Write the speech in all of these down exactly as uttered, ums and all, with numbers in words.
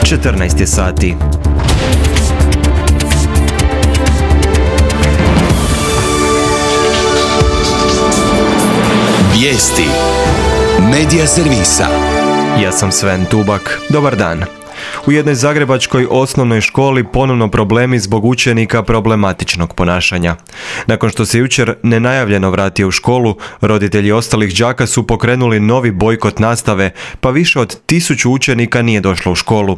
četrnaest je sati. Vijesti Medija servisa. Ja sam Sven Tubak. Dobar dan. U jednoj zagrebačkoj osnovnoj školi ponovno problemi zbog učenika problematičnog ponašanja. Nakon što se jučer nenajavljeno vratio u školu, roditelji ostalih đaka su pokrenuli novi bojkot nastave, pa više od tisuću učenika nije došlo u školu.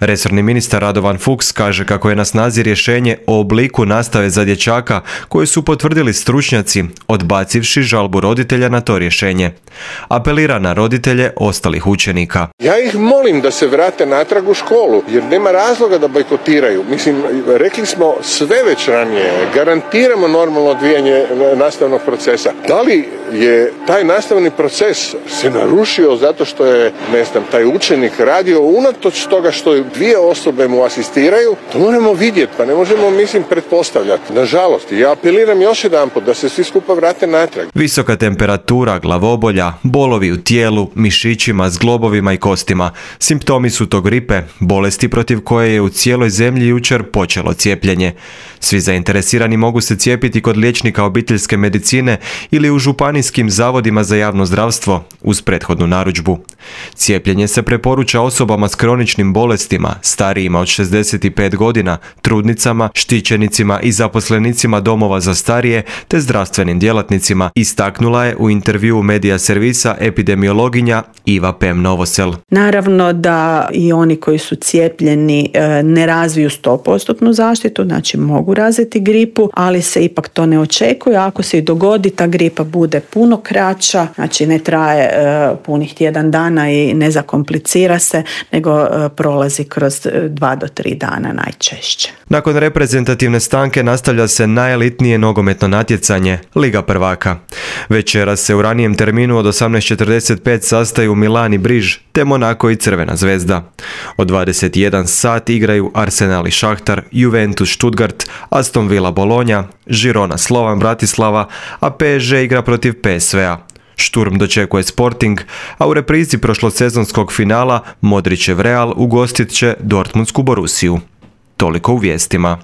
Resorni ministar Radovan Fuchs kaže kako je na snazi rješenje o obliku nastave za dječaka koje su potvrdili stručnjaci, odbacivši žalbu roditelja na to rješenje. Apelira na roditelje ostalih učenika. Ja ih molim da se vrate natrag u školu, jer nema razloga da bojkotiraju. Mislim, rekli smo sve već ranije, garantiramo normalno odvijanje nastavnog procesa. Da li je taj nastavni proces se narušio zato što je, ne znam, taj učenik radio unatoč toga što dvije osobe mu asistiraju, to moramo vidjeti, pa ne možemo, mislim, pretpostavljati. Nažalost, ja apeliram još jedanput da se svi skupa vrate natrag. Visoka temperatura, glavobolja, bolovi u tijelu, mišićima, zglobovima i kostima. Simptomi su to gripe, bolesti protiv koje je u cijeloj zemlji jučer počelo cijepljenje. Svi zainteresirani mogu se cijepiti kod liječnika obiteljske medicine ili u županijskim zavodima za javno zdravstvo uz prethodnu narudžbu. Cijepljenje se preporuča osobama s kroničnim bolestima, starijima od šezdeset pet godina, trudnicama, štićenicima i zaposlenicima domova za starije te zdravstvenim djelatnicima, istaknula je u intervjuu Medija servisa epidemiologinja Iva Pem Novosel. Naravno da i oni koji su cijepljeni ne razviju sto posto zaštitu, znači mogu razviti gripu, ali se ipak to ne očekuje. Ako se i dogodi, ta gripa bude puno kraća, znači ne traje punih tjedan dana i ne zakomplicira se, nego prolazi kroz dva do tri dana najčešće. Nakon reprezentativne stanke nastavlja se najelitnije nogometno natjecanje, Liga prvaka. Večeras se u ranijem terminu od osamnaest četrdeset pet sastaju Milan i Briž, te Monako i Crvena zvezda. Od dvadeset jedan sat igraju Arsenal i Šahtar, Juventus Stuttgart, Aston Villa Bologna, Girona Slovan Bratislava, a P S G igra protiv P S V-a. Šturm dočekuje Sporting, a u reprizi prošlosezonskog finala Modrićev Real ugostit će Dortmundsku Borussiju. Toliko u vijestima.